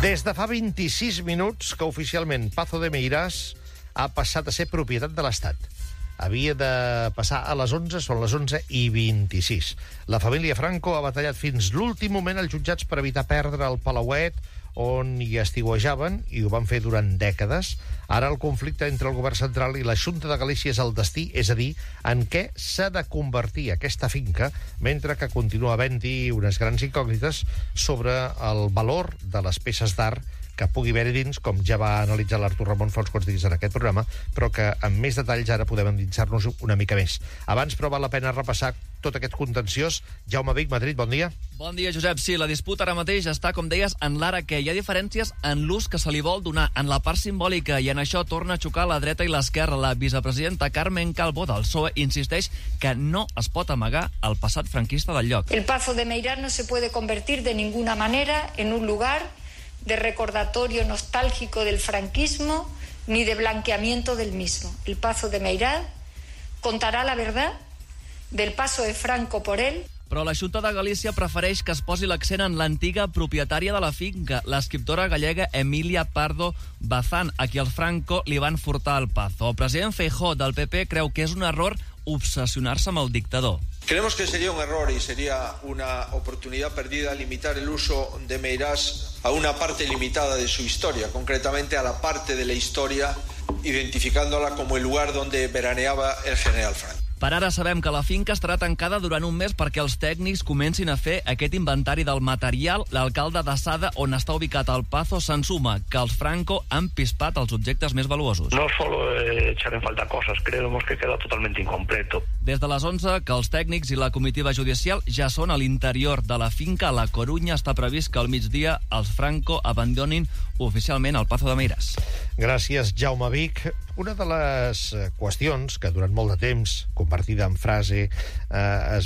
Des de fa 26 minuts que oficialment Pazo de Meirás ha passat a ser propietat de l'Estat. Havia de passar a les 11, són les 11:26. La família Franco ha batallat fins l'últim moment als jutjats per evitar perdre el palauet on hi estiuejaven, i ho van fer durant dècades. Ara el conflicte entre el govern central i la Xunta de Galícia és el destí, és a dir, en què s'ha de convertir aquesta finca, mentre que continua havent-hi unes grans incògnites sobre el valor de les peces d'art que pugui haver-hi dins, com ja va analitzar l'Artur Ramon fa uns quants dies en aquest programa, però que amb més detalls ara podem endinsar-nos una mica més. Abans, però, val la pena repassar tot aquest contenciós. Jaume Vic, Madrid, bon dia. Bon dia, Josep. Sí, la disputa ara mateix està, com deies, en l'ara que hi ha diferències en l'ús que se li vol donar, en la part simbòlica, i en això torna a xocar la dreta i l'esquerra. La vicepresidenta Carmen Calvo del PSOE insisteix que no es pot amagar el passat franquista del lloc. El Pazo de Meirás no se puede convertir de ninguna manera en un lugar de recordatorio nostálgico del franquismo ni de blanqueamiento del mismo. El Pazo de Meirás contará la verdad del paso de Franco por él. Però la Xunta de Galícia prefereix que es posi l'accent en l'antiga propietària de la finca, l'escriptora gallega Emilia Pardo Bazán, a qui els Franco li van furtar el Pazo. El president Feijóo del PP creu que és un error obsessionar-se amb el dictador. Creemos que sería un error y sería una oportunidad perdida limitar el uso de Meirás a una parte limitada de su historia, concretamente a la parte de la historia identificándola como el lugar donde veraneaba el general Franco. Per ara sabem que la finca estarà tancada durant un mes perquè els tècnics comencin a fer aquest inventari del material. L'alcalde de Sada, on està ubicat el Pazo, se'n suma que els Franco han pispat els objectes més valuosos. No solo echar en falta cosas, creemos que queda totalmente incompleto. Des de les 11 que els tècnics i la comitiva judicial ja són a l'interior de la finca. A la Corunya està previst que al migdia els Franco abandonin oficialment el Pazo de Meirás. Gràcies, Jaume Vic. Una de les qüestions que durant molt de temps, convertida en frase,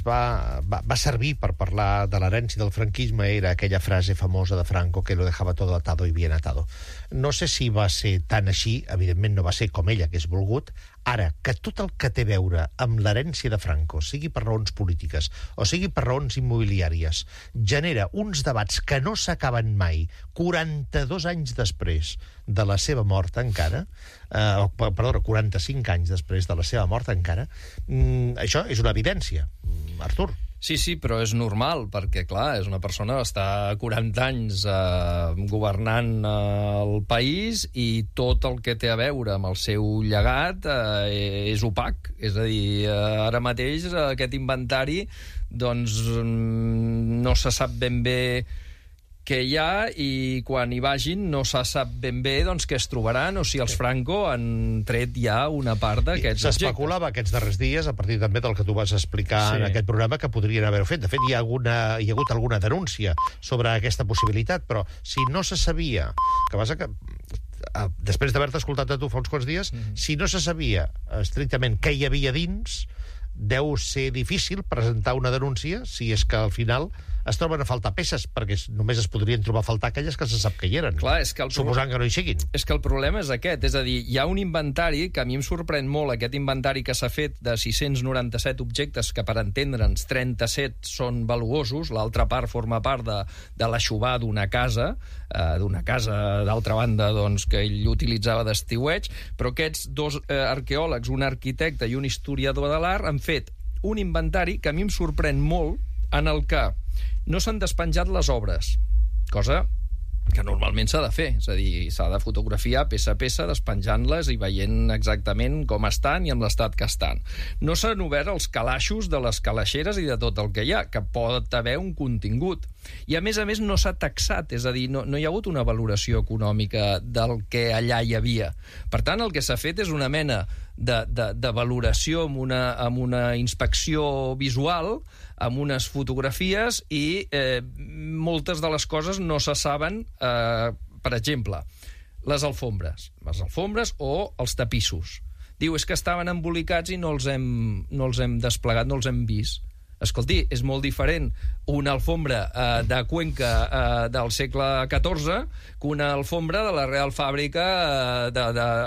va servir per parlar de l'herència del franquisme era aquella frase famosa de Franco que lo dejaba todo atado y bien atado. No sé si va ser tan així, evidentment no va ser com ell hagués volgut. Ara, que tot el que té a veure amb l'herència de Franco, sigui per raons polítiques o sigui per raons immobiliàries, genera uns debats que no s'acaben mai, 42 anys després de la seva mort encara, 45 anys després de la seva mort encara, això és una evidència, Artur. Sí, però és normal, perquè, clar, és una persona que està 40 anys governant el país i tot el que té a veure amb el seu llegat és opac. És a dir, ara mateix aquest inventari doncs no se sap ben bé què hi ha, i quan hi vagin no se sap ben bé doncs, què es trobaran, o si els Franco han tret ja una part d'aquests objectes. S'especulava aquests darrers dies, a partir també del que tu vas explicar en aquest programa, que podrien haver-ho fet. De fet, hi ha hagut alguna denúncia sobre aquesta possibilitat, però si no se sabia... Que passa que després d'haver-te escoltat a tu fa uns quants dies, si no se sabia estrictament què hi havia dins, deu ser difícil presentar una denúncia si és que al final es troben a faltar peces, perquè només es podrien trobar a faltar aquelles que se sap que hi eren. Clar, suposant que no hi siguin. És que el problema és aquest, és a dir, hi ha un inventari que a mi em sorprèn molt, aquest inventari que s'ha fet de 697 objectes, que per entendre'ns 37 són valuosos, l'altra part forma part de l'aixovar d'una casa d'altra banda doncs, que ell utilitzava d'estiueig, però aquests dos arqueòlegs, un arquitecte i un historiador de l'art, han fet un inventari que a mi em sorprèn molt, en el que no s'han despenjat les obres, cosa que normalment s'ha de fer, és a dir, s'ha de fotografiar peça a peça, despenjant-les i veient exactament com estan i amb l'estat que estan. No s'han obert els calaixos de les calaixeres i de tot el que hi ha, que pot haver un contingut. I a més no s'ha taxat, és a dir, no hi ha hagut una valoració econòmica del que allà hi havia. Per tant, el que s'ha fet és una mena de valoració amb una inspecció visual, amb unes fotografies, i moltes de les coses no se saben. Per exemple, les alfombres o els tapissos. Diu, és que estaven embolicats i no els hem desplegat, no els hem vist. Escolti, és molt diferent una alfombra de Cuenca del segle XIV que una alfombra de la Real Fàbrica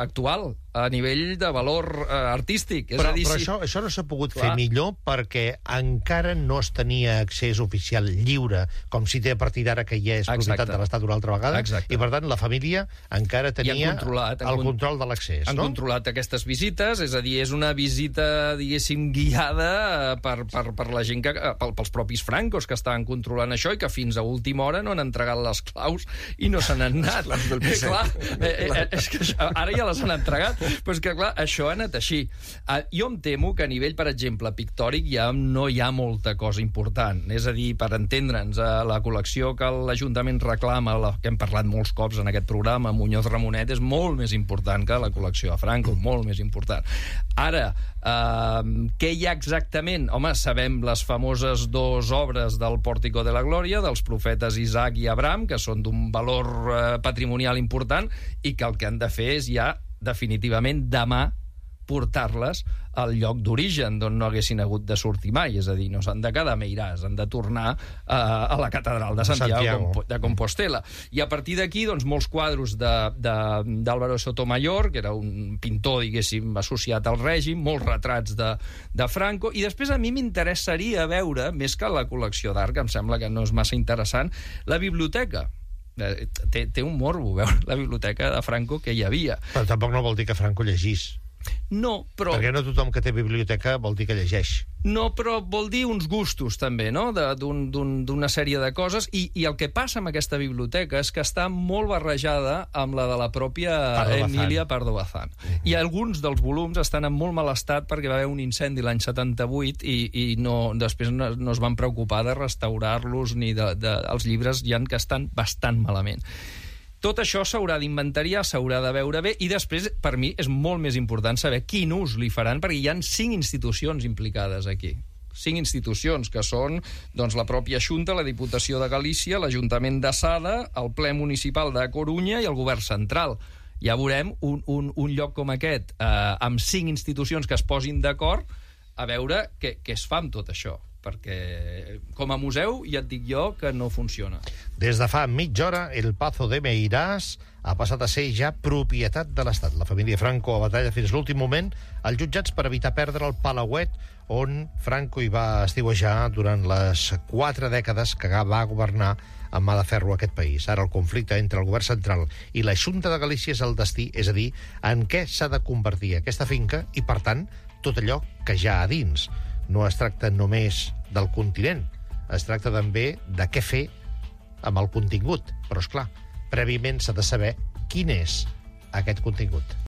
actual. a nivell de valor artístic. Però això no s'ha pogut fer millor perquè encara no es tenia accés oficial lliure, com si té a partir d'ara que ja és propietat de l'Estat una altra vegada, i per tant la família encara tenia el control de l'accés. Han controlat aquestes visites, és a dir, és una visita, diguéssim, guiada per la gent, pels propis francos que estaven controlant això i que fins a última hora no han entregat les claus i no se n'han anat. És que ara ja les han entregat, però és que, clar, això ha anat així. Jo em temo que a nivell, per exemple, pictòric ja no hi ha molta cosa important. És a dir, per entendre'ns, la col·lecció que l'Ajuntament reclama, que hem parlat molts cops en aquest programa, Muñoz Ramonet, és molt més important que la col·lecció de Franco, molt més important. Ara, què hi ha exactament? Home, sabem les famoses 2 obres del Pòrtico de la Glòria, dels profetes Isaac i Abraham, que són d'un valor patrimonial important i que el que han de fer és ja definitivament demà portar-les al lloc d'origen d'on no haguessin hagut de sortir mai, és a dir, no s'han de quedar a Meiràs, han de tornar a la catedral de Santiago de Compostela. I a partir d'aquí, doncs, molts quadros d'Álvaro Sotomayor, que era un pintor, diguéssim, associat al règim, molts retrats de Franco, i després a mi m'interessaria veure, més que la col·lecció d'art, que em sembla que no és massa interessant, la biblioteca. Té un morbo veure la biblioteca de Franco que hi havia. Però tampoc no vol dir que Franco llegís. No, però... Perquè no tothom que té biblioteca vol dir que llegeix. No, però vol dir uns gustos, també, no?, d'una sèrie de coses, i el que passa amb aquesta biblioteca és que està molt barrejada amb la de la pròpia Emilia Pardo Bazán. I alguns dels volums estan en molt mal estat perquè va haver un incendi l'any 78 i després no es van preocupar de restaurar-los ni els llibres ja que estan bastant malament. Tot això s'haurà d'inventariar, s'haurà de veure bé, i després, per mi, és molt més important saber quin ús li faran, perquè hi ha 5 institucions implicades aquí. 5 institucions, que són doncs, la pròpia Xunta, la Diputació de Galícia, l'Ajuntament de Sada, el Ple Municipal de Corunya i el Govern Central. Ja veurem un lloc com aquest, amb 5 institucions que es posin d'acord, a veure què es fa amb tot això, perquè com a museu ja et dic jo que no funciona. Des de fa mitja hora, el Pazo de Meiràs ha passat a ser ja propietat de l'Estat. La família Franco a batalla fins l'últim moment als jutjats per evitar perdre el palauet on Franco hi va estiuejar durant les 4 dècades que va governar amb mà de ferro aquest país. Ara el conflicte entre el govern central i la Xunta de Galícia és el destí, és a dir, en què s'ha de convertir aquesta finca i, per tant, tot allò que ja a dins. No es tracta només del continent, es tracta també de què fer amb el contingut. Però, és clar, prèviament s'ha de saber quin és aquest contingut.